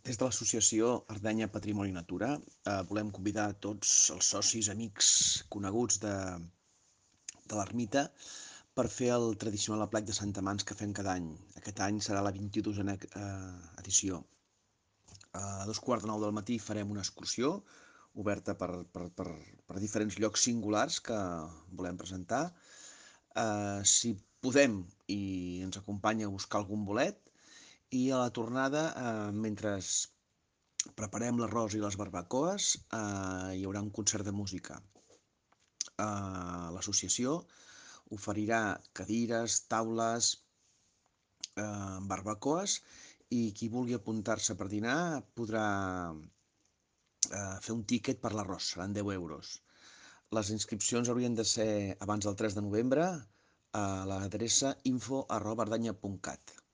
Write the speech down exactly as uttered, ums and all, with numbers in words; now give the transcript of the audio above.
Des de l'associació Ardenya Patrimoni Natura eh, volem convidar a tots els socis, amics, coneguts de, de l'ermita per fer el tradicional aplec de Santa Mans que fem cada any. Aquest any serà la vint-i-dosena eh, edició. A dos quarts de nou del matí farem una excursió oberta per, per, per, per diferents llocs singulars que volem presentar. Eh, si podem i ens acompanya a buscar algun bolet, i a la tornada, eh, mentre preparem l'arròs i les barbacoes, eh, hi haurà un concert de música. Eh, L'associació oferirà cadires, taules, eh, barbacoes, i qui vulgui apuntar-se per dinar podrà eh, fer un tíquet per l'arròs, seran deu euros. Les inscripcions haurien de ser abans del tres de novembre a l'adreça info arroba ardenya punt cat.